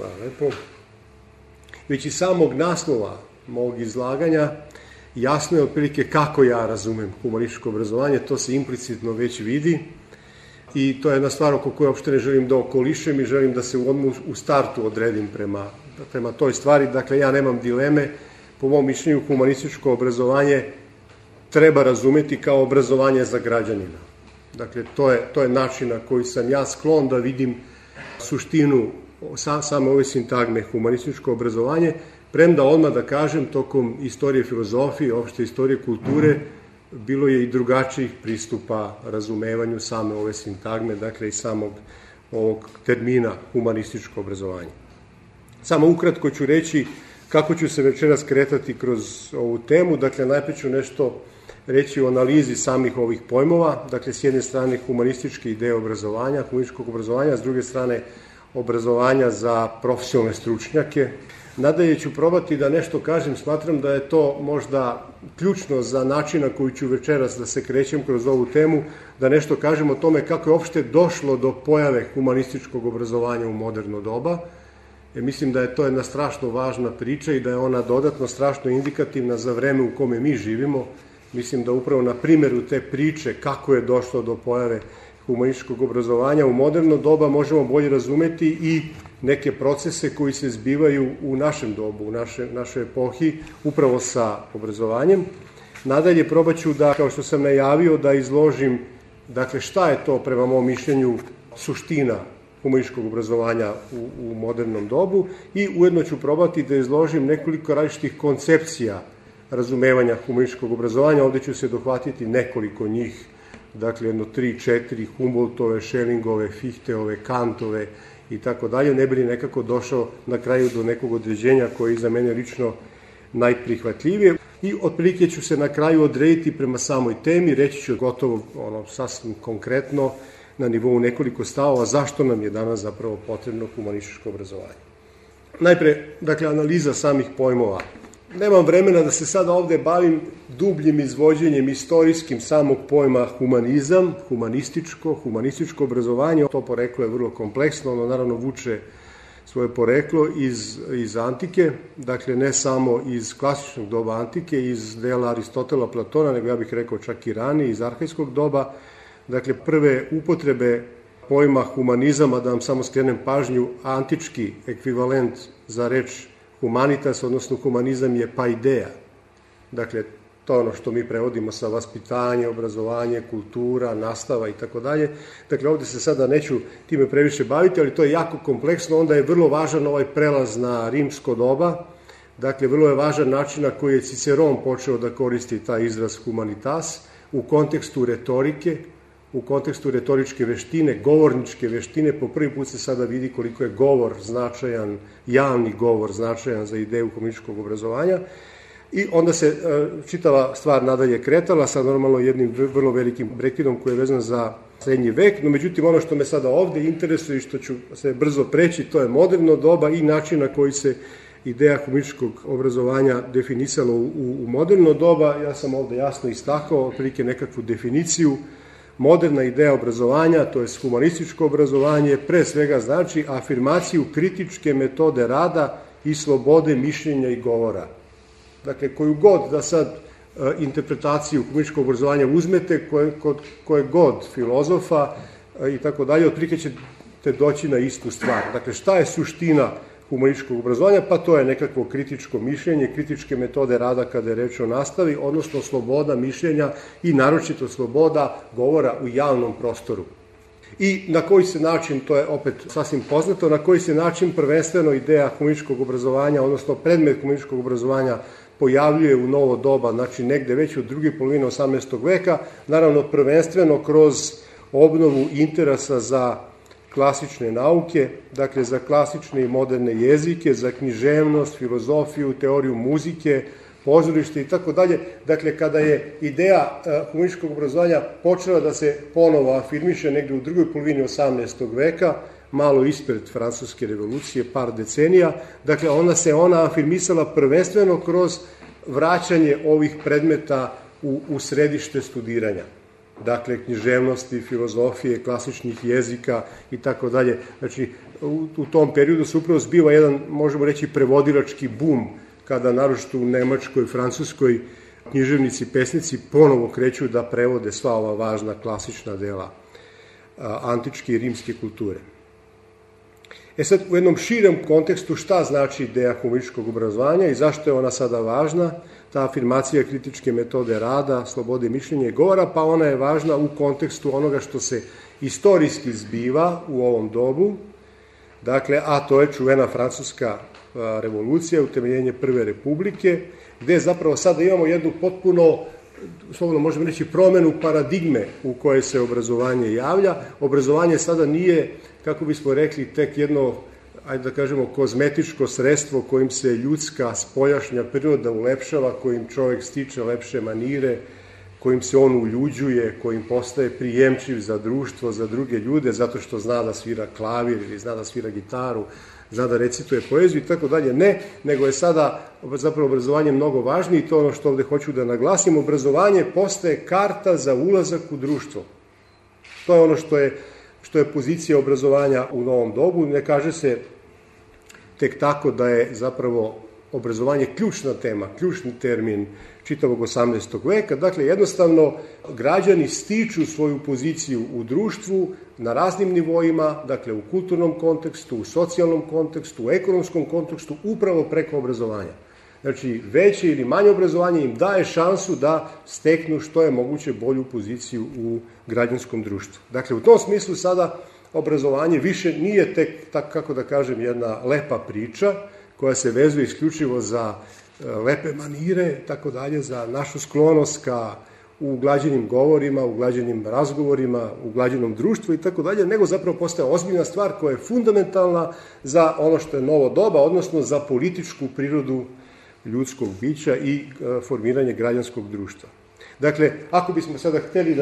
Hvala lepo. Već iz samog naslova mog izlaganja jasno je otprilike kako ja razumem humanističko obrazovanje, to se implicitno već vidi i to je jedna stvar oko koje uopšte ne želim da okolišem i želim da se u startu odredim prema toj stvari. Dakle, ja nemam dileme, po mom mišljenju humanističko obrazovanje treba razumeti kao obrazovanje za građanina. Dakle, to je način na koji sam ja sklon da vidim suštinu same ove sintagme humanističko obrazovanje, premda odmah da kažem, tokom istorije filozofije, opšte istorije kulture, bilo je i drugačijih pristupa razumevanju same ove sintagme, dakle i samog ovog termina humanističko obrazovanje. Samo ukratko ću reći kako ću se večeras kretati kroz ovu temu. Dakle, najprej ću nešto reći o analizi samih ovih pojmova, dakle s jedne strane humanističke ideje obrazovanja, humanističkog obrazovanja, s druge strane obrazovanja za profesionalne stručnjake. Nadalje ću probati da nešto kažem, smatram da je to možda ključno za način na koji ću večeras da se krećem kroz ovu temu, da nešto kažem o tome kako je uopšte došlo do pojave humanističkog obrazovanja u moderno doba. Mislim da je to jedna strašno važna priča i da je ona dodatno strašno indikativna za vreme u kome mi živimo. Mislim da upravo na primjeru te priče kako je došlo do pojave humanističkog obrazovanja u moderno doba možemo bolje razumeti i neke procese koji se zbivaju u našem dobu, u našoj epohi, upravo sa obrazovanjem. Nadalje, probat ću da, kao što sam najavio, da izložim, dakle, šta je to, prema mom mišljenju, suština humanističkog obrazovanja u modernom dobu i ujedno ću probati da izložim nekoliko različitih koncepcija razumevanja humanističkog obrazovanja. Ovde ću se dohvatiti nekoliko njih, dakle, jedno 3-4, Humboldtove, Schellingove, Fichteove, Kantove i tako dalje, ne bi li nekako došao na kraju do nekog određenja koje je za mene lično najprihvatljivije. I otprilike ću se na kraju odrediti prema samoj temi, reći ću gotovo sasvim konkretno na nivou nekoliko stavova zašto nam je danas zapravo potrebno humanističko obrazovanje. Najpre, dakle, analiza samih pojmova. Nemam vremena da se sada ovde bavim dubljim izvođenjem istorijskim samog pojma humanizam, humanističko obrazovanje. To poreklo je vrlo kompleksno, ono naravno vuče svoje poreklo iz antike, dakle ne samo iz klasičnog doba antike, iz dela Aristotela, Platona, nego ja bih rekao čak i ranije, iz arhajskog doba. Dakle, prve upotrebe pojma humanizama, da vam samo skrenem pažnju, antički ekvivalent za reč humanitas, odnosno humanizam je paideia. Dakle, to je ono što mi prevodimo sa vaspitanje, obrazovanje, kultura, nastava i tako dalje. Dakle, ovde se sada neću time previše baviti, ali to je jako kompleksno, onda je vrlo važan ovaj prelaz na rimsko doba. Dakle, vrlo je važan način na koji je Ciceron počeo da koristi taj izraz humanitas u kontekstu retorike, u kontekstu retoričke veštine, govorničke veštine. Po prvi put se sada vidi koliko je govor značajan, javni govor značajan za ideju humanističkog obrazovanja. I onda se čitava stvar nadalje kretala sa normalno jednim vrlo velikim prekidom koji je vezan za srednji vek. No, međutim, ono što me sada ovde interesuje i što ću se brzo preći, to je moderno doba i način na koji se ideja humanističkog obrazovanja definisala u moderno doba. Ja sam ovde jasno istakao otprilike nekakvu definiciju. Moderna ideja obrazovanja, to je humanističko obrazovanje, pre svega znači afirmaciju kritičke metode rada i slobode mišljenja i govora. Dakle, koju god da sad interpretaciju humanističkog obrazovanja uzmete, koje god filozofa i tako dalje, otprilike ćete doći na istu stvar. Dakle, šta je suština humanističkog obrazovanja? Pa to je nekakvo kritičko mišljenje, kritičke metode rada kada je reč o nastavi, odnosno sloboda mišljenja i naročito sloboda govora u javnom prostoru. I na koji se način, to je opet sasvim poznato, na koji se način prvenstveno ideja humanističkog obrazovanja, odnosno predmet humanističkog obrazovanja pojavljuje u novo doba, znači negde već u druge polovine 18. veka, naravno prvenstveno kroz obnovu interesa za klasične nauke, dakle za klasične i moderne jezike, za književnost, filozofiju, teoriju muzike, pozorište i tako dalje. Dakle, kada je ideja humanističkog obrazovanja počela da se ponovo afirmiše negde u drugoj polovini 18. veka, malo ispred Francuske revolucije, par decenija, dakle ona afirmisala prvenstveno kroz vraćanje ovih predmeta u središte studiranja. Dakle, književnosti, filozofije, klasičnih jezika i tako dalje. Znači, u tom periodu se upravo zbiva jedan, možemo reći, prevodilački bum, kada naročito u Nemačkoj, Francuskoj književnici, pesnici ponovo kreću da prevode sva ova važna klasična dela antičke i rimske kulture. Sad, u jednom širem kontekstu šta znači ideja humanističkog obrazovanja i zašto je ona sada važna, ta afirmacija kritičke metode rada, slobode mišljenja i govora, pa ona je važna u kontekstu onoga što se istorijski zbiva u ovom dobu, dakle, a to je čuvena francuska revolucija, utemeljenje Prve republike, gde zapravo sada imamo jednu potpuno, slobodno možemo reći, promenu paradigme u kojoj se obrazovanje javlja. Obrazovanje sada nije, kako bismo rekli, tek jedno, ajde da kažemo, kozmetičko sredstvo kojim se ljudska spoljašnja priroda ulepšava, kojim čovjek stiče lepše manire, kojim se on uljuđuje, kojim postaje prijemčiv za društvo, za druge ljude, zato što zna da svira klavir ili zna da svira gitaru, zna da recituje poeziju i tako dalje. Ne, nego je sada zapravo obrazovanje mnogo važnije i to ono što ovde hoću da naglasim. Obrazovanje postaje karta za ulazak u društvo. To je ono što je pozicija obrazovanja u novom dobu. Ne kaže se tek tako da je zapravo obrazovanje ključna tema, ključni termin čitavog 18. veka. Dakle, jednostavno, građani stiču svoju poziciju u društvu na raznim nivoima, dakle, u kulturnom kontekstu, u socijalnom kontekstu, u ekonomskom kontekstu, upravo preko obrazovanja. Znači, veće ili manje obrazovanje im daje šansu da steknu što je moguće bolju poziciju u građanskom društvu. Dakle, u tom smislu sada obrazovanje više nije tek, tako kako da kažem, jedna lepa priča koja se vezuje isključivo za lepe manire, tako dalje, za našu sklonost ka uglađenim govorima, uglađenim razgovorima, uglađenom društvu i tako dalje, nego zapravo postaje ozbiljna stvar koja je fundamentalna za ono što je novo doba, odnosno za političku prirodu ljudskog bića i formiranje građanskog društva. Dakle, ako bismo sada hteli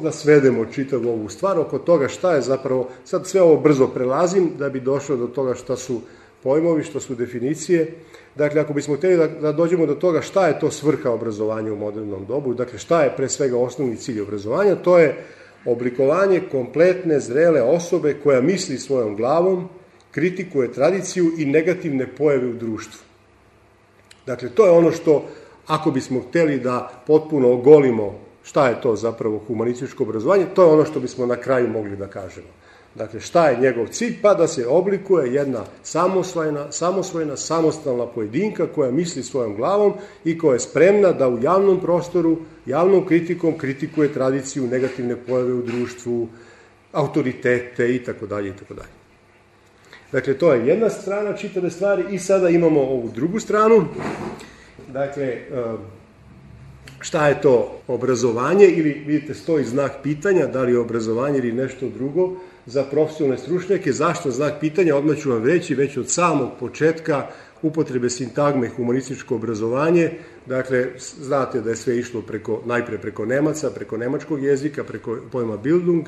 da svedemo čitavu ovu stvar oko toga šta je zapravo, sad sve ovo brzo prelazim da bi došlo do toga šta su pojmovi, što su definicije. Dakle, ako bismo hteli da dođemo do toga šta je to svrha obrazovanja u modernom dobu, dakle, šta je pre svega osnovni cilj obrazovanja, to je oblikovanje kompletne, zrele osobe koja misli svojom glavom, kritikuje tradiciju i negativne pojave u društvu. Dakle, to je ono što, ako bismo hteli da potpuno ogolimo šta je to zapravo humanističko obrazovanje, to je ono što bismo na kraju mogli da kažemo. Dakle, šta je njegov cilj? Pa da se oblikuje jedna samosvojna, samostalna pojedinka koja misli svojom glavom i koja je spremna da u javnom prostoru, javnom kritikom kritikuje tradiciju, negativne pojave u društvu, autoritete i tako dalje i tako dalje. Dakle, to je jedna strana čitave stvari i sada imamo ovu drugu stranu. Dakle, šta je to obrazovanje ili, vidite, stoji znak pitanja, da li je obrazovanje ili nešto drugo za profesionalne stručnjake. Zašto znak pitanja? Odmah ću vam reći, već od samog početka upotrebe sintagme humanističko obrazovanje. Dakle, znate da je sve išlo najpre preko Nemaca, preko nemačkog jezika, preko pojma Bildung.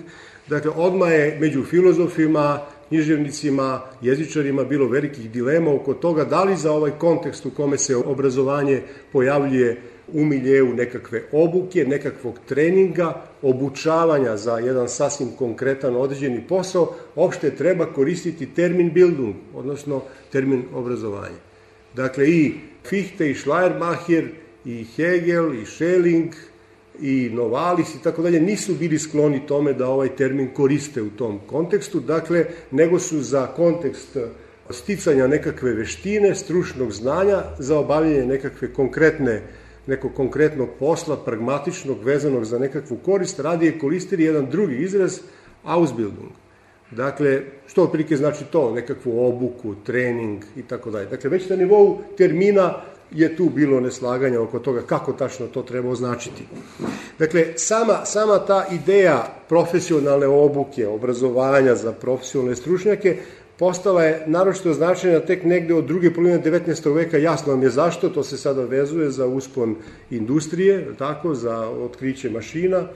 Dakle, odmah je među filozofima, književnicima, jezičarima bilo velikih dilema oko toga da li za ovaj kontekst u kome se obrazovanje pojavljuje u miljeu nekakve obuke, nekakvog treninga, obučavanja za jedan sasvim konkretan određeni posao, opšte treba koristiti termin Bildung, odnosno termin obrazovanje. Dakle, i Fichte, i Schleiermacher, i Hegel, i Schelling, i Novalis i tako dalje nisu bili skloni tome da ovaj termin koriste u tom kontekstu, dakle, nego su za kontekst sticanja nekakve veštine, stručnog znanja, za obavljanje nekog konkretnog posla, pragmatičnog, vezanog za nekakvu korist, radije koristili jedan drugi izraz, Ausbildung. Dakle, što otprilike znači to, nekakvu obuku, trening i tako dalje. Dakle, već na nivou termina je tu bilo neslaganja oko toga kako tačno to treba označiti. Dakle, sama ta ideja profesionalne obuke, obrazovanja za profesionalne stručnjake postala je naročito značajna tek negde od druge polovine 19. veka. Jasno vam je zašto, to se sada vezuje za uspon industrije, tako, za otkriće mašina,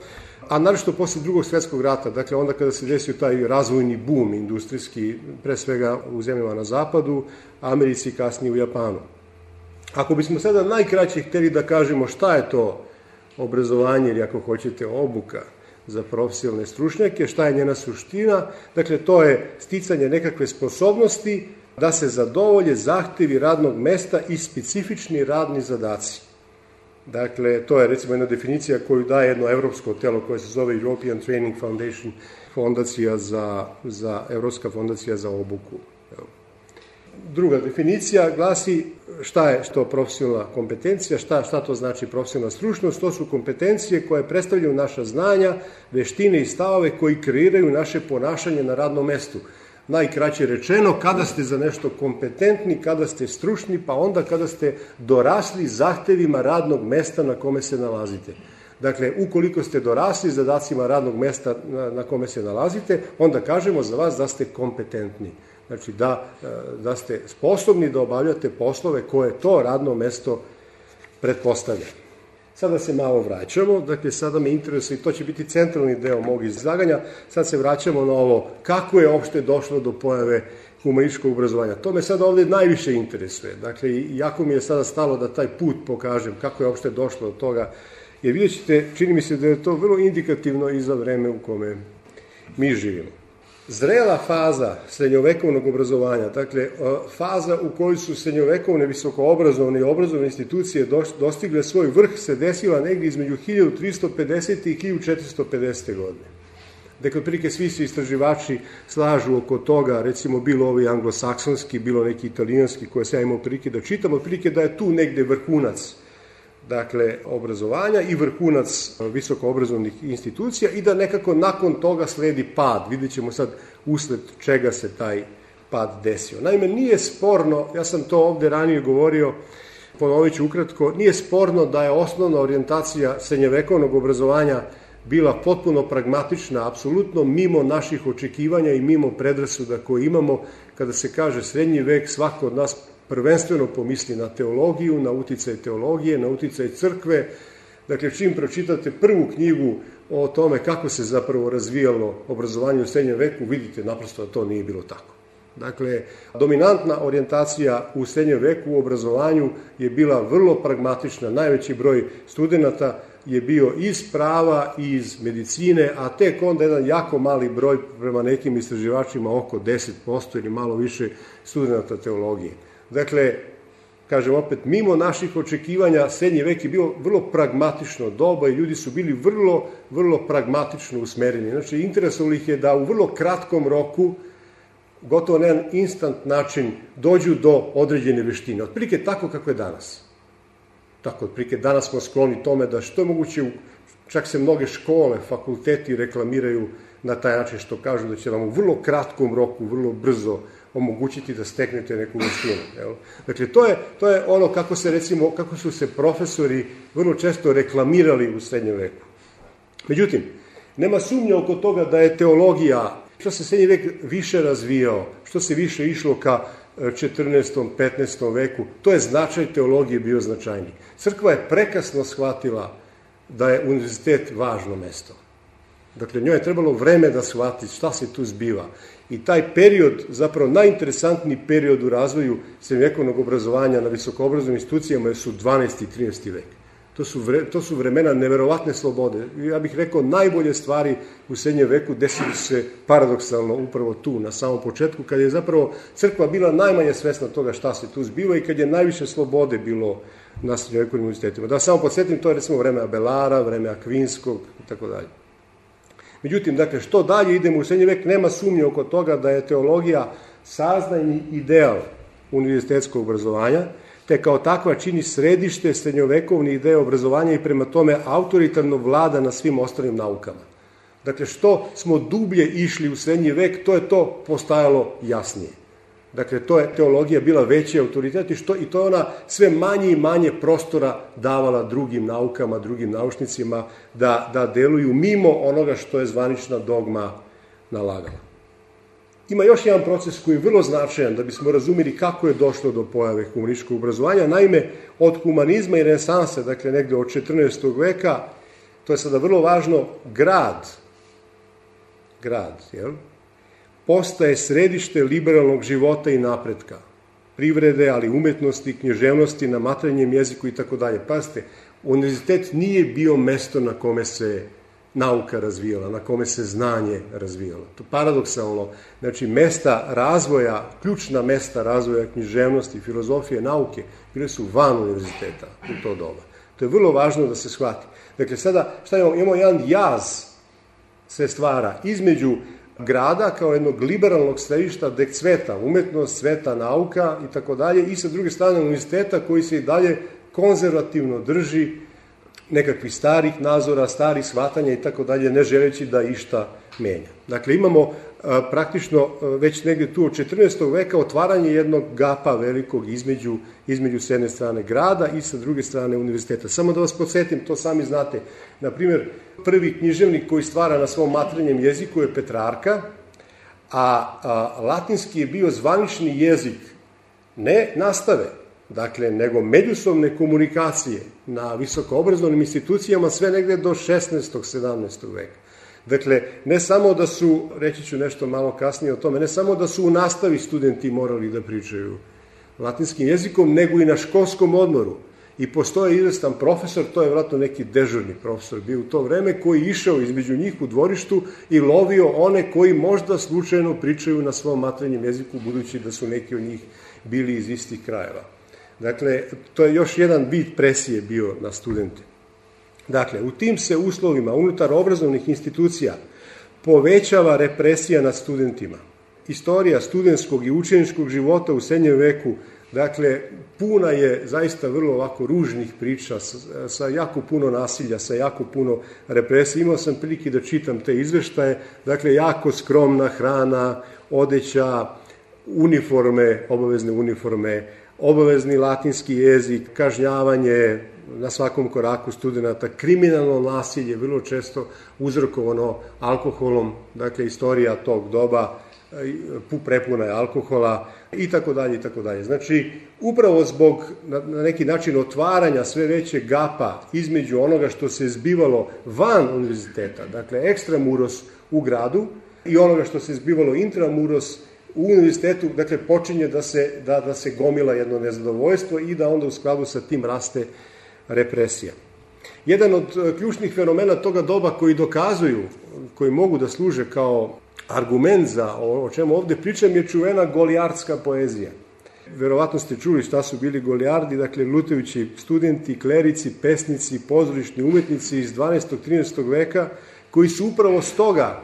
a naročito posle Drugog svjetskog rata, dakle onda kada se desio taj razvojni bum industrijski, pre svega u zemljama na zapadu, Americi i kasnije u Japanu. Ako bismo sada najkraće hteli da kažemo šta je to obrazovanje ili ako hoćete obuka, za profesionalne stručnjake. Šta je njena suština? Dakle, to je sticanje nekakve sposobnosti da se zadovolje zahtjevi radnog mesta i specifični radni zadaci. Dakle, to je recimo jedna definicija koju daje jedno evropsko telo koje se zove European Training Foundation, Evropska fondacija za obuku. Druga definicija glasi šta je to profesionalna kompetencija, šta to znači profesionalna stručnost. To su kompetencije koje predstavljaju naša znanja, veštine i stavove koji kreiraju naše ponašanje na radnom mestu. Najkraće rečeno, kada ste za nešto kompetentni, kada ste stručni, pa onda kada ste dorasli zahtevima radnog mesta na kome se nalazite. Dakle, ukoliko ste dorasli zadacima radnog mesta na kome se nalazite, onda kažemo za vas da ste kompetentni. Znači, da ste sposobni da obavljate poslove koje to radno mesto pretpostavlja. Sada se malo vraćamo, dakle, sada me interesuje, i to će biti centralni deo mog izlaganja, sad se vraćamo na ovo kako je uopšte došlo do pojave humanističkog obrazovanja. To me sada ovdje najviše interesuje. Dakle, jako mi je sada stalo da taj put pokažem kako je uopšte došlo do toga, jer vidjet ćete, čini mi se da je to vrlo indikativno i za vreme u kome mi živimo. Zrela faza srednjovekovnog obrazovanja, dakle, faza u kojoj su srednjovekovne visokoobrazovne i obrazovne institucije dostigle svoj vrh, se desila negdje između 1350. i 1450. godine. Dakle, otprilike svi su istraživači slažu oko toga, recimo bilo ovi anglosaksonski, bilo neki italijanski koje sam imao prilike da čitam, otprilike da je tu negde vrhunac, dakle, obrazovanja i vrhunac visokoobrazovnih institucija i da nekako nakon toga sledi pad. Vidjet ćemo sad usled čega se taj pad desio. Naime, nije sporno, ja sam to ovdje ranije govorio, ponovit ću ukratko, nije sporno da je osnovna orijentacija srednjevekovnog obrazovanja bila potpuno pragmatična, apsolutno mimo naših očekivanja i mimo predrasuda koje imamo. Kada se kaže srednji vek, svako od nas prvenstveno pomisli na teologiju, na uticaj teologije, na uticaj crkve. Dakle, čim pročitate prvu knjigu o tome kako se zapravo razvijalo obrazovanje u srednjem veku, vidite naprosto da to nije bilo tako. Dakle, dominantna orijentacija u srednjem veku u obrazovanju je bila vrlo pragmatična. Najveći broj studenata je bio iz prava i iz medicine, a tek onda jedan jako mali broj, prema nekim istraživačima oko 10% ili malo više, studenata teologije. Dakle, kažem opet, mimo naših očekivanja, srednji vek je bio vrlo pragmatično doba i ljudi su bili vrlo pragmatično usmereni. Znači, interesovalo ih je da u vrlo kratkom roku, gotovo na jedan instant način, dođu do određene veštine. Otprilike tako kako je danas. Tako, otprilike danas smo skloni tome da što je moguće, čak se mnoge škole, fakulteti reklamiraju na taj način što kažu da će vam u vrlo kratkom roku, vrlo brzo omogućiti da steknete neku veštinu. Dakle, to je ono kako su se profesori vrlo često reklamirali u srednjem veku. Međutim, nema sumnje oko toga da je teologija, što se srednji vek više razvijao, što se više išlo ka 14. 15. veku, to je značaj teologije bio značajniji. Crkva je prekasno shvatila da je univerzitet važno mesto. Dakle, njoj je trebalo vreme da shvati šta se tu zbiva. I taj period, zapravo najinteresantniji period u razvoju srednjovekovnog obrazovanja na visokoobrazovnim institucijama su 12. i 13. vek. To su vremena neverovatne slobode. Ja bih rekao, najbolje stvari u srednjem veku desili se paradoksalno upravo tu, na samom početku, kad je zapravo crkva bila najmanje svesna toga šta se tu zbiva i kad je najviše slobode bilo na srednjovekovnim univerzitetima. Da samo podsjetim, to je recimo vreme Abelara, vreme Akvinskog i tako dalje. Međutim, dakle, što dalje idemo u srednji vek, nema sumnje oko toga da je teologija saznajni ideal univerzitetskog obrazovanja, te kao takva čini središte srednjovekovne ideje obrazovanja i prema tome autoritarno vlada na svim ostalim naukama. Dakle, što smo dublje išli u srednji vek, to je to postajalo jasnije. Dakle, to je teologija bila veći autoritet i to je ona sve manje i manje prostora davala drugim naukama, drugim naučnicima da deluju mimo onoga što je zvanična dogma nalagala. Ima još jedan proces koji je vrlo značajan da bismo razumjeli kako je došlo do pojave humanističkog obrazovanja. Naime, od humanizma i renesanse, dakle negde od 14. veka, to je sada vrlo važno, grad, postaje središte liberalnog života i napretka, privrede, ali umetnosti, književnosti, na materinjem jeziku i tako dalje. Pazite, univerzitet nije bio mesto na kome se nauka razvijala, na kome se znanje razvijalo. To paradoksalno, znači mesta razvoja, ključna mesta razvoja književnosti, filozofije, nauke, bile su van univerziteta u to doba. To je vrlo važno da se shvati. Dakle, sada, šta imamo? Imamo jedan jaz se stvara između grada kao jednog liberalnog središta gde cveta umetnost, cveta nauka i tako dalje, i sa druge strane univerziteta koji se i dalje konzervativno drži nekakvih starih nazora, starih shvatanja i tako dalje, ne želeći da išta menja. Dakle, imamo praktično već negdje tu od 14. veka otvaranje jednog gapa velikog između s jedne strane grada i sa druge strane univerziteta. Samo da vas podsjetim, to sami znate, na primjer, prvi književnik koji stvara na svom materinjem jeziku je Petrarka, a latinski je bio zvanični jezik ne nastave, dakle, nego međusobne komunikacije na visokoobrazovnim institucijama sve negde do 16. 17. veka. Dakle, ne samo da su, reći ću nešto malo kasnije o tome, ne samo da su u nastavi studenti morali da pričaju latinskim jezikom, nego i na školskom odmoru. I postoje izvestan profesor, to je vjerojatno neki dežurni profesor bio u to vreme, koji išao između njih u dvorištu i lovio one koji možda slučajno pričaju na svom materinjem jeziku, budući da su neki od njih bili iz istih krajeva. Dakle, to je još jedan vid presije bio na studente. Dakle, u tim se uslovima unutar obrazovnih institucija povećava represija nad studentima. Istorija studentskog i učeničkog života u srednjem veku, dakle, puna je zaista vrlo ovako ružnih priča, sa jako puno nasilja, sa jako puno represije. Imao sam prilike da čitam te izveštaje, dakle, jako skromna hrana, odeća, uniforme, obavezne uniforme, obavezni latinski jezik, kažnjavanje na svakom koraku studenta, kriminalno nasilje, vrlo često uzrokovano alkoholom, dakle, istorija tog doba prepuna je alkohola i tako dalje i tako dalje. Znači, upravo zbog na neki način otvaranja sve većeg gapa između onoga što se zbivalo van univerziteta, dakle, ekstramuros u gradu, i onoga što se zbivalo intramuros u univerzitetu, dakle, počinje da se gomila jedno nezadovoljstvo i da onda u skladu sa tim raste represija. Jedan od ključnih fenomena toga doba koji dokazuju, koji mogu da služe kao argument za o čemu ovde pričam, je čuvena golijardska poezija. Verovatno ste čuli šta su bili golijardi, dakle, lutajući studenti, klerici, pesnici, pozorišni umetnici iz 12. 13. veka, koji su upravo stoga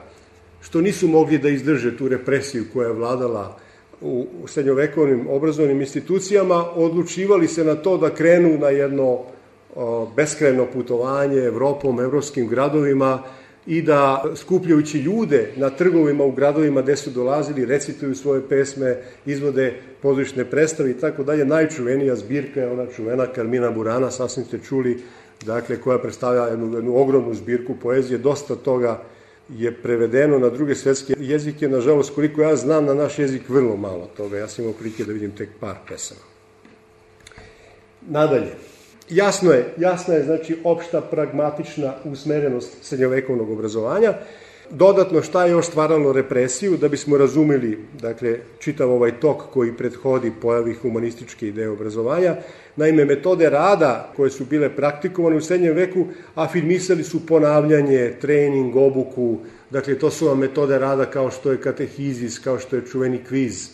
što nisu mogli da izdrže tu represiju koja je vladala u srednjovekovnim obrazovnim institucijama, odlučivali se na to da krenu na jedno beskrajno putovanje Evropom, evropskim gradovima i da, skupljajući ljude na trgovima u gradovima gde su dolazili, recituju svoje pesme, izvode pozorišne predstave i tako dalje. Najčuvenija zbirka je ona čuvena Carmina Burana, sasvim ste čuli, dakle, koja predstavlja jednu ogromnu zbirku poezije. Dosta toga je prevedeno na druge svetske jezike. Nažalost, koliko ja znam, na naš jezik vrlo malo toga. Ja sam imao prilike da vidim tek par pesama. Nadalje, jasna je, znači, opšta pragmatična usmerenost srednjovekovnog obrazovanja. Dodatno, šta je još stvaralo represiju, da bismo razumeli, dakle, čitav ovaj tok koji prethodi pojavi humanističke ideje obrazovanja. Naime, metode rada koje su bile praktikovane u srednjem veku afirmisali su ponavljanje, trening, obuku. Dakle, to su vam metode rada kao što je katehizis, kao što je čuveni kviz,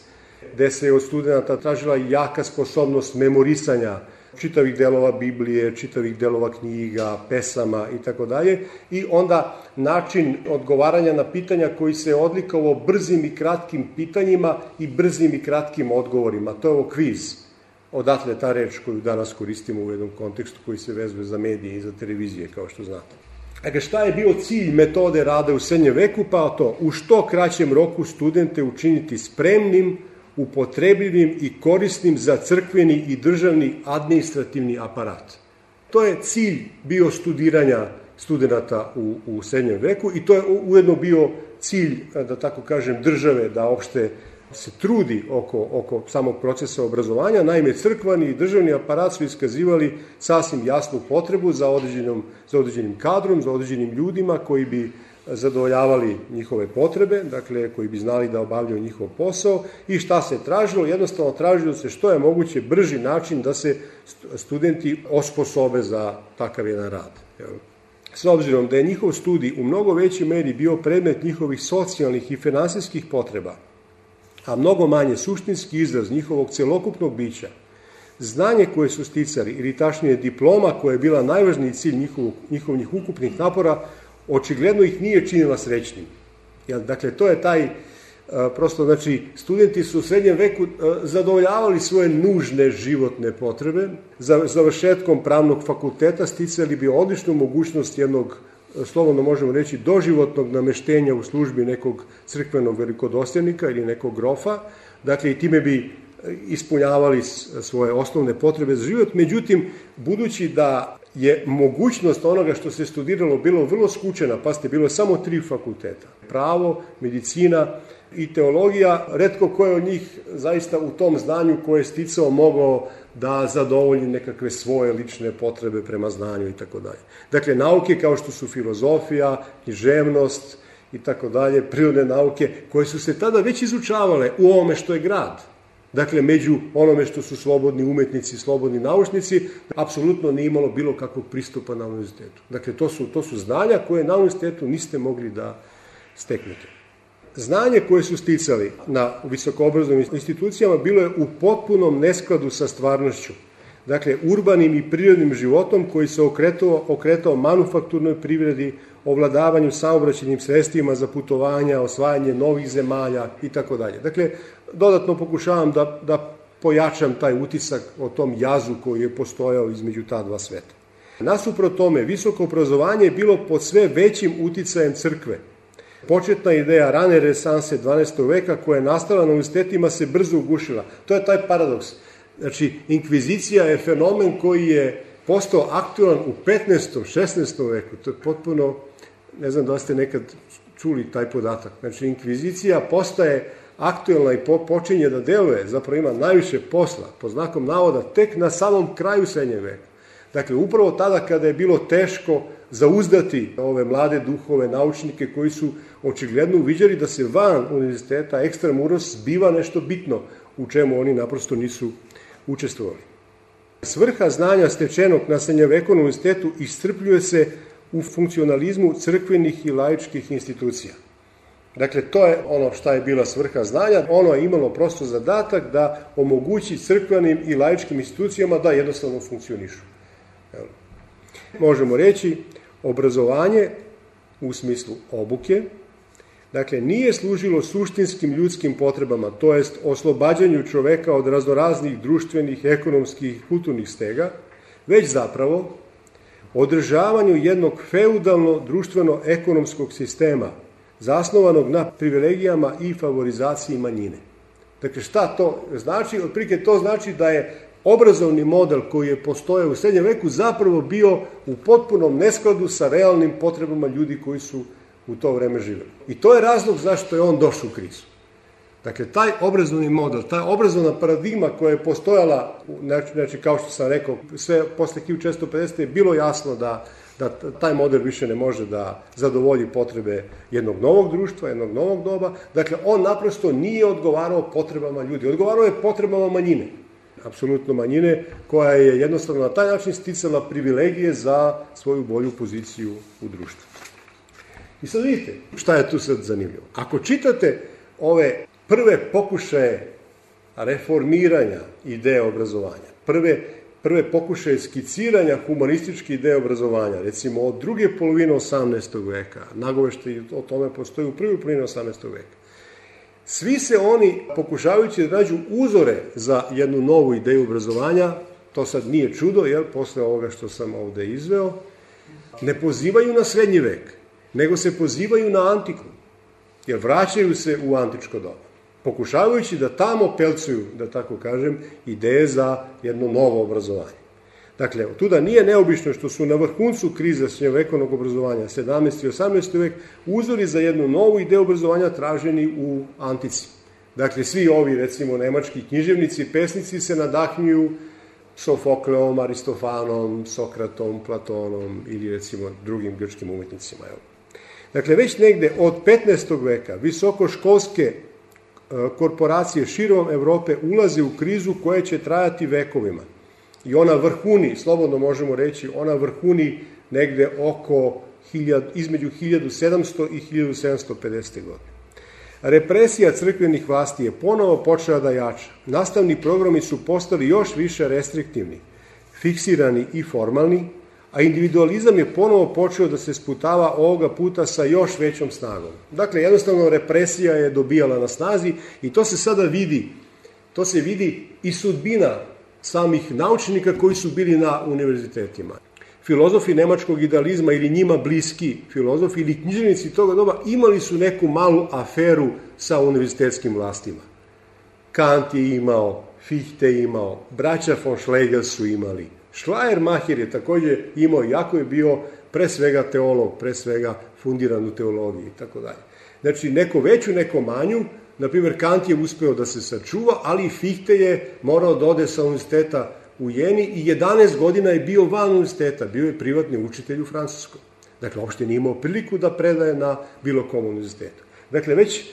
gde se od studenta tražila jaka sposobnost memorisanja čitavih delova Biblije, čitavih delova knjiga, pesama i tako dalje, i onda način odgovaranja na pitanja koji se odlikovao brzim i kratkim pitanjima i brzim i kratkim odgovorima. To je ovo kviz. Odatle ta reč koju danas koristimo u jednom kontekstu koji se vezuje za medije i za televizije, kao što znate. Dakle, šta je bio cilj metode rada u srednjem veku? Pa to, u što kraćem roku studente učiniti spremnim, upotrebljivim i korisnim za crkveni i državni administrativni aparat. To je cilj bio studiranja studenta u srednjem veku i to je ujedno bio cilj, da tako kažem, države da opšte se trudi oko samog procesa obrazovanja. Naime, crkveni i državni aparat su iskazivali sasvim jasnu potrebu za određenim kadrom, za određenim ljudima koji bi zadovoljavali njihove potrebe, dakle, koji bi znali da obavljaju njihov posao. I šta se tražilo? Jednostavno tražilo se što je moguće brži način da se studenti osposobe za takav jedan rad. s obzirom da je njihov studij u mnogo većoj meri bio predmet njihovih socijalnih i finansijskih potreba, a mnogo manje suštinski izraz njihovog celokupnog bića, znanje koje su sticali, ili tačnije diploma koja je bila najvažniji cilj njihovih ukupnih napora, očigledno ih nije činila srećnim. Dakle, to je taj, prosto, znači, studenti su u srednjem veku zadovoljavali svoje nužne životne potrebe, za završetkom pravnog fakulteta sticali bi odličnu mogućnost jednog, slobodno možemo reći, doživotnog nameštenja u službi nekog crkvenog velikodostojnika ili nekog grofa, dakle, i time bi ispunjavali svoje osnovne potrebe za život. Međutim, budući da je mogućnost onoga što se studiralo bilo vrlo skučena, pazite, bilo je samo 3 fakulteta, pravo, medicina i teologija, retko ko je od njih zaista u tom znanju koje je sticao mogao da zadovolji nekakve svoje lične potrebe prema znanju i tako dalje. Dakle, nauke kao što su filozofija, književnost i tako dalje, prirodne nauke, koje su se tada već izučavale u ovome što je grad. Dakle, među onome što su slobodni umetnici, slobodni naučnici, apsolutno nije imalo bilo kakvog pristupa na univerzitetu. Dakle, to su znanja koje na univerzitetu niste mogli da steknete. Znanje koje su sticali na visokoobrazovnim institucijama bilo je u potpunom neskladu sa stvarnošću. Dakle, urbanim i prirodnim životom koji se okretao manufakturnoj privredi, ovladavanju saobraćajnim sredstvima za putovanja, osvajanje novih zemalja i tako dalje. Dakle, dodatno pokušavam da pojačam taj utisak o tom jazu koji je postojao između ta dva sveta. Nasuprot tome, visoko obrazovanje je bilo pod sve većim uticajem crkve. Početna ideja rane renesanse 12. veka koja je nastala na univerzitetima se brzo ugušila. To je taj paradoks. Znači, inkvizicija je fenomen koji je postao aktualan u 15. 16. veku. To je potpuno, ne znam da li ste nekad čuli taj podatak. Znači, inkvizicija postaje aktualna i počinje da deluje, zapravo ima najviše posla, pod znakom navoda, tek na samom kraju srednjeg veka. Dakle, upravo tada kada je bilo teško zauzdati ove mlade duhove, naučnike koji su očigledno uviđali da se van univerziteta ekstramuros zbiva nešto bitno u čemu oni naprosto nisu učestvovali. Svrha znanja stečenog na srednjevekovnom univerzitetu iscrpljuje se u funkcionalizmu crkvenih i laičkih institucija. Dakle, to je ono šta je bila svrha znanja. Ono je imalo prosto zadatak da omogući crkvenim i laičkim institucijama da jednostavno funkcionišu. Možemo reći, obrazovanje u smislu obuke, dakle, nije služilo suštinskim ljudskim potrebama, to jest oslobađanju čoveka od raznoraznih društvenih, ekonomskih, kulturnih stega, već zapravo održavanju jednog feudalno društveno-ekonomskog sistema, zasnovanog na privilegijama i favorizaciji manjine. Dakle, šta to znači? Otprilike to znači da je obrazovni model koji je postojao u srednjem veku zapravo bio u potpunom neskladu sa realnim potrebama ljudi koji su u to vreme živjeli. I to je razlog zašto je on došao u krizu. Dakle, taj obrazovni model, ta obrazovna paradigma koja je postojala, znači kao što sam rekao, sve posle 1650. je bilo jasno da taj model više ne može da zadovolji potrebe jednog novog društva, jednog novog doba. Dakle, on naprosto nije odgovarao potrebama ljudi, odgovarao je potrebama manjine. Apsolutno manjine, koja je jednostavno na taj način sticala privilegije za svoju bolju poziciju u društvu. I sad vidite šta je tu sad zanimljivo. Ako čitate ove prve pokušaje reformiranja ideje obrazovanja, prve pokušaje skiciranja humanističke ideje obrazovanja, recimo od druge polovine 18. veka, nagoveštaj o tome postoji u prvoj polovini 18. veka, svi se oni, pokušavajući da nađu uzore za jednu novu ideju obrazovanja, to sad nije čudo, jer posle ovoga što sam ovde izveo, ne pozivaju na srednji vek, nego se pozivaju na antiku, jer vraćaju se u antičko doba, pokušavajući da tamo pelcuju, da tako kažem, ideje za jedno novo obrazovanje. Dakle, tuda nije neobično što su na vrhuncu krize srednjovekovnog obrazovanja, 17. i 18. vek, uzori za jednu novu ideju obrazovanja traženi u antici. Dakle, svi ovi, recimo, nemački književnici, pesnici se nadahnjuju Sofokleom, Aristofanom, Sokratom, Platonom ili, recimo, drugim grčkim umetnicima. Dakle, već negde od 15. veka visokoškolske korporacije širom Evrope ulaze u krizu koja će trajati vekovima. I ona vrhuni, slobodno možemo reći, ona vrhuni negde između 1700 i 1750. godine. Represija crkvenih vlasti je ponovo počela da jača. Nastavni programi su postali još više restriktivni, fiksirani i formalni, a individualizam je ponovo počeo da se sputava ovoga puta sa još većom snagom. Dakle, jednostavno represija je dobijala na snazi i to se sada vidi. To se vidi i sudbina samih naučnika koji su bili na univerzitetima. Filozofi nemačkog idealizma ili njima bliski filozofi ili književnici toga doba imali su neku malu aferu sa univerzitetskim vlastima. Kant je imao, Fichte je imao, braća von Schlegel su imali. Schleiermacher je također imao, jako je bio pre svega teolog, pre svega fundiran u teologiji i tako dalje. Znači, neko veću, neko manju, na primjer Kant je uspeo da se sačuva, ali i Fichte je morao da ode sa univerziteta u Jeni i 11 godina je bio van univerziteta, bio je privatni učitelj u Francuskoj. Dakle, uopšte nije imao priliku da predaje na bilo kom univerzitetu. Dakle, već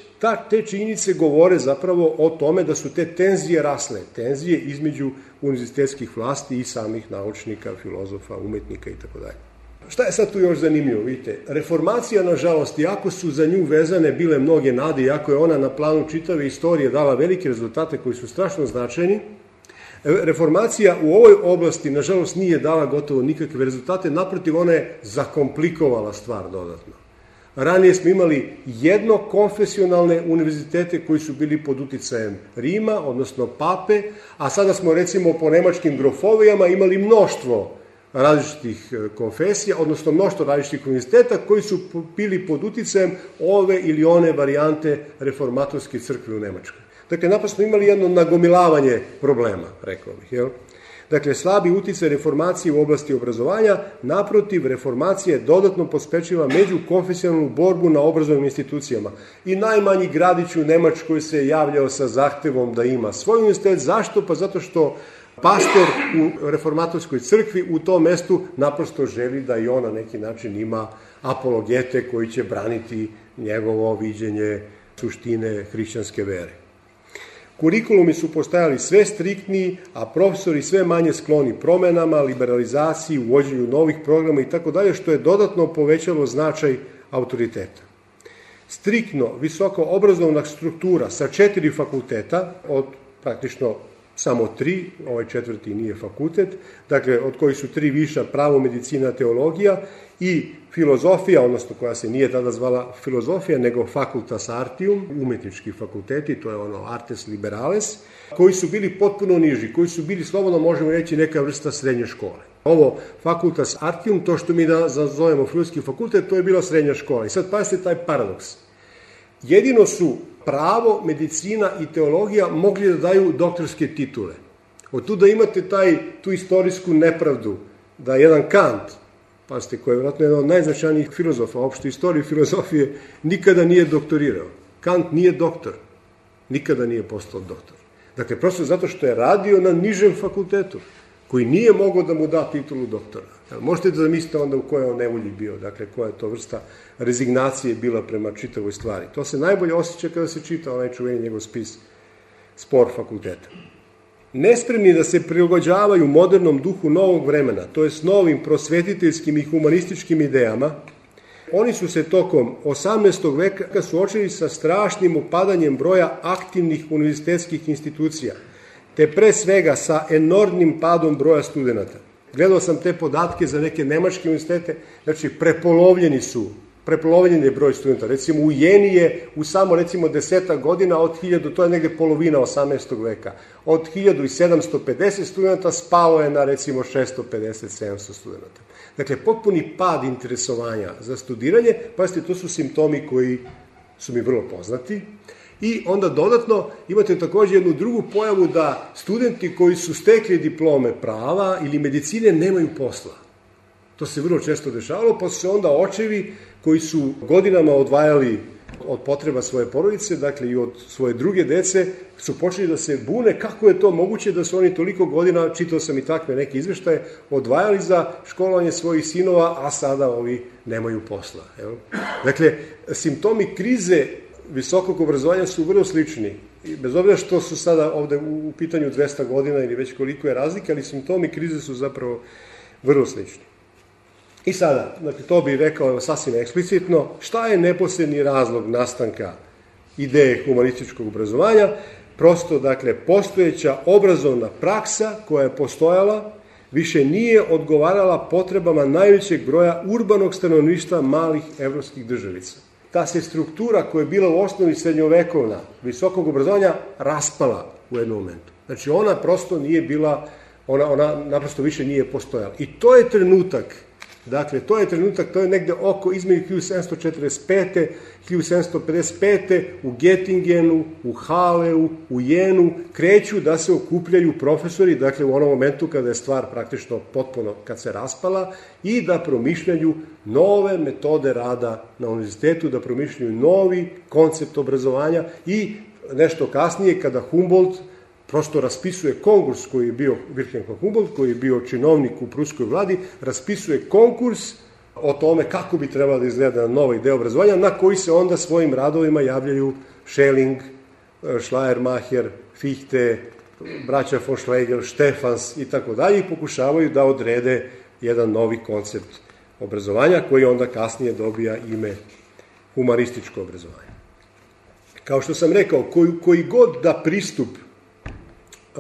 te činjenice govore zapravo o tome da su te tenzije rasle, tenzije između univerzitetskih vlasti i samih naučnika, filozofa, umetnika itd. Šta je sad tu još zanimljivo? Vidite, reformacija, nažalost, iako su za nju vezane bile mnoge nade, iako je ona na planu čitave istorije dala velike rezultate koji su strašno značajni, reformacija u ovoj oblasti, nažalost, nije dala gotovo nikakve rezultate, naprotiv, ona je zakomplikovala stvar dodatno. Ranije smo imali jednokonfesionalne univerzitete koji su bili pod uticajem Rima, odnosno pape, a sada smo recimo po nemačkim grofovijama imali mnoštvo različitih konfesija, odnosno mnoštvo različitih univerziteta koji su bili pod uticajem ove ili one varijante reformatorske crkve u Nemačkoj. Dakle, naprosto imali jedno nagomilavanje problema, rekao bih, jel? Dakle, slabi uticaj reformacije u oblasti obrazovanja, naprotiv, reformacija je dodatno pospečila međukonfesionalnu borbu na obrazovnim institucijama. I najmanji gradić u Nemačkoj se javljao sa zahtevom da ima svoj univerzitet. Zašto? Pa zato što pastor u reformatorskoj crkvi u tom mestu naprosto želi da i on na neki način ima apologete koji će braniti njegovo viđenje suštine hrišćanske vere. Kurikulumi su postajali sve striktniji, a profesori sve manje skloni promenama, liberalizaciji, uvođenju novih programa i tako dalje, što je dodatno povećalo značaj autoriteta. Striktno visoko obrazovna struktura sa 4 fakulteta, od praktično samo 3, ovaj 4. nije fakultet, dakle od kojih su 3 viša, pravo, medicina, teologija i filozofija, odnosno koja se nije tada zvala filozofija, nego facultas artium, umetnički fakulteti, to je ono artes liberales, koji su bili potpuno niži, koji su bili, slobodno možemo reći, neka vrsta srednje škole. Ovo facultas artium, to što mi da zovemo filozofski fakultet, to je bila srednja škola. I sad pazite taj paradoks. Jedino su pravo, medicina i teologija mogli da daju doktorske titule. Od tu da imate tu istorijsku nepravdu, da jedan Kant, pazite, koji je vjerojatno jedan od najznačajnijih filozofa, opšte istorije filozofije, nikada nije doktorirao. Kant nije doktor, nikada nije postao doktor. Dakle, prosto zato što je radio na nižem fakultetu, koji nije mogao da mu da titulu doktora. Možete da zamislite onda u kojoj on nevolji bio, dakle, koja je to vrsta rezignacije bila prema čitavoj stvari. To se najbolje osjeća kada se čita onaj čuveni njegov spis Spor fakulteta. Nespremni da se prilagođavaju modernom duhu novog vremena, to je s novim prosvetiteljskim i humanističkim idejama, oni su se tokom 18. veka suočili sa strašnim opadanjem broja aktivnih univerzitetskih institucija, te pre svega sa enormnim padom broja studenata. Gledao sam te podatke za neke nemačke univerzitete, znači prepolovljen je broj studenta. Recimo u Jeni je u samo recimo 10 godina od 1000, to je negde polovina 18. veka, od 1750 studenta spalo je na recimo 650-700 studenta. Dakle, potpuni pad interesovanja za studiranje, pazite, to su simptomi koji su mi vrlo poznati. I onda dodatno imate također jednu drugu pojavu da studenti koji su stekli diplome prava ili medicine nemaju posla. To se vrlo često dešavalo, pa su se onda očevi koji su godinama odvajali od potreba svoje porodice, dakle i od svoje druge dece, su počeli da se bune kako je to moguće da su oni toliko godina, čitao sam i takve neke izveštaje, odvajali za školovanje svojih sinova, a sada ovi nemaju posla. Evo. Dakle, simptomi krize visokog obrazovanja su vrlo slični. Bez obzira što su sada ovde u pitanju 200 godina ili već koliko je razlika, ali simptomi krize su zapravo vrlo slični. I sada, dakle, to bih rekao sasvim eksplicitno, šta je neposredni razlog nastanka ideje humanističkog obrazovanja? Prosto, dakle, postojeća obrazovna praksa koja je postojala više nije odgovarala potrebama najvećeg broja urbanog stanovništva malih evropskih državica. Ta se struktura koja je bila u osnovi srednjovekovna visokog obrazovanja raspala u jednom momentu. Znači, ona prosto nije bila, ona naprosto više nije postojala. I to je trenutak, dakle, to je negde oko između 1745. 1755. u Göttingenu, u Haleu, u Jenu, kreću da se okupljaju profesori, dakle, u onom momentu kada je stvar praktično potpuno, kad se raspala, i da promišljaju nove metode rada na univerzitetu, da promišljaju novi koncept obrazovanja i nešto kasnije, kada Humboldt prosto raspisuje konkurs koji je bio, Wilhelm von Humboldt, koji je bio činovnik u pruskoj vladi, raspisuje konkurs o tome kako bi trebala da izgleda nova ideja obrazovanja, na koji se onda svojim radovima javljaju Schelling, Schleiermacher, Fichte, braća von Schlegel, Stefans i tako dalje, i pokušavaju da odrede jedan novi koncept obrazovanja koji onda kasnije dobija ime humanističko obrazovanje. Kao što sam rekao, koji god da pristup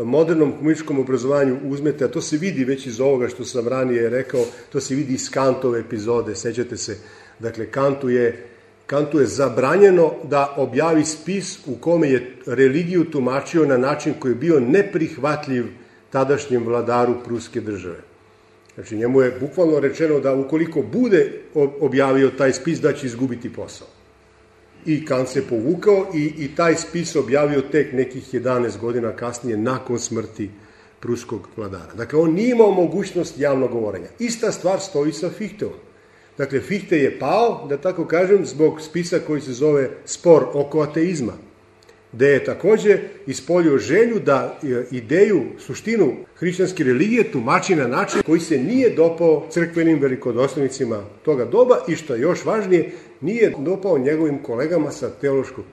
modernom humanističkom obrazovanju uzmete, a to se vidi već iz ovoga što sam ranije rekao, to se vidi iz Kantove epizode, sećate se, dakle, Kantu je zabranjeno da objavi spis u kome je religiju tumačio na način koji je bio neprihvatljiv tadašnjem vladaru pruske države. Znači, njemu je bukvalno rečeno da ukoliko bude objavio taj spis, da će izgubiti posao. I Kant se povukao i taj spis objavio tek nekih 11 godina kasnije, nakon smrti pruskog vladara. Dakle, on nije imao mogućnost javnog govorenja. Ista stvar stoji sa Fichteom. Dakle, Fichte je pao, da tako kažem, zbog spisa koji se zove Spor oko ateizma, gde je takođe ispoljio želju da ideju, suštinu hrišćanske religije tumači na način koji se nije dopao crkvenim velikodostojnicima toga doba i, što je još važnije, nije dopao njegovim kolegama sa teološkog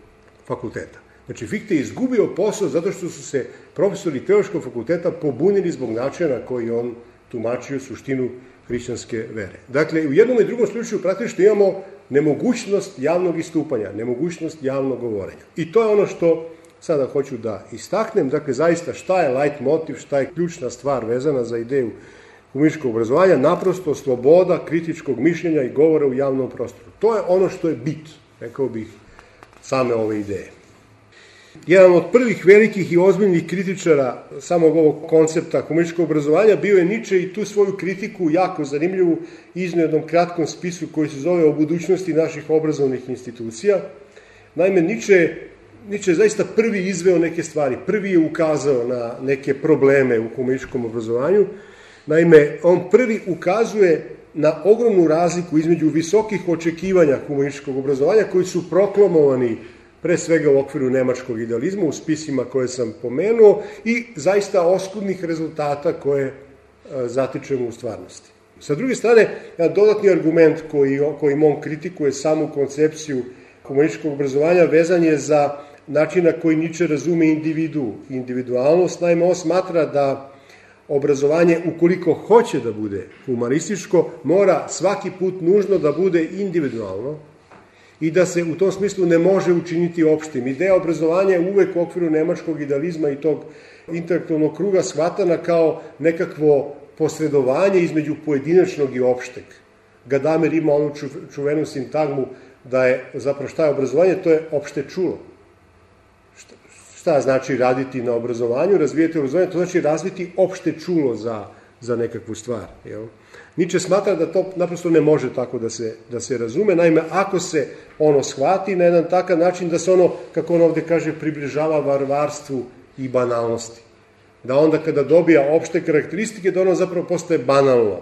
fakulteta. Znači, Fichte je izgubio posao zato što su se profesori teološkog fakulteta pobunili zbog načina koji on tumačio suštinu hrišćanske vere. Dakle, u jednom i drugom slučaju praktično imamo nemogućnost javnog istupanja, nemogućnost javnog govorenja. I to je ono što sada hoću da istaknem. Dakle, zaista šta je light motiv, šta je ključna stvar vezana za ideju humanističkog obrazovanja? Naprosto sloboda kritičkog mišljenja i govora u javnom prostoru. To je ono što je bit, rekao bih, same ove ideje. Jedan od prvih velikih i ozbiljnih kritičara samog ovog koncepta humanističkog obrazovanja bio je Nietzsche i tu svoju kritiku, jako zanimljivu, iznio jednom kratkom spisu koji se zove O budućnosti naših obrazovnih institucija. Naime, Nietzsche je zaista prvi izveo neke stvari, prvi je ukazao na neke probleme u humanističkom obrazovanju. Naime, on prvi ukazuje na ogromnu razliku između visokih očekivanja humanističkog obrazovanja koji su proklamovani pre svega u okviru nemačkog idealizma, u spisima koje sam pomenuo, i zaista oskudnih rezultata koje zatičemo u stvarnosti. Sa druge strane, jedan dodatni argument kojim on kritikuje samu koncepciju humanističkog obrazovanja vezan je za način na koji Nietzsche razume individualnost. Naime, on smatra da obrazovanje, ukoliko hoće da bude humanističko, mora svaki put nužno da bude individualno i da se u tom smislu ne može učiniti opštim. Ideja obrazovanja je uvek u okviru nemačkog idealizma i tog intelektualnog kruga shvatana kao nekakvo posredovanje između pojedinačnog i opšteg. Gadamer ima onu čuvenu sintagmu da je, zapravo šta je obrazovanje, to je opšte čulo. Šta znači raditi na obrazovanju, razvijati obrazovanje, to znači razviti opšte čulo za nekakvu stvar. Jel? Nietzsche smatra da to naprosto ne može tako da se razume. Naime, ako se ono shvati na jedan takav način da se ono, kako on ovde kaže, približava varvarstvu i banalnosti. Da onda kada dobija opšte karakteristike, da ono zapravo postaje banalno.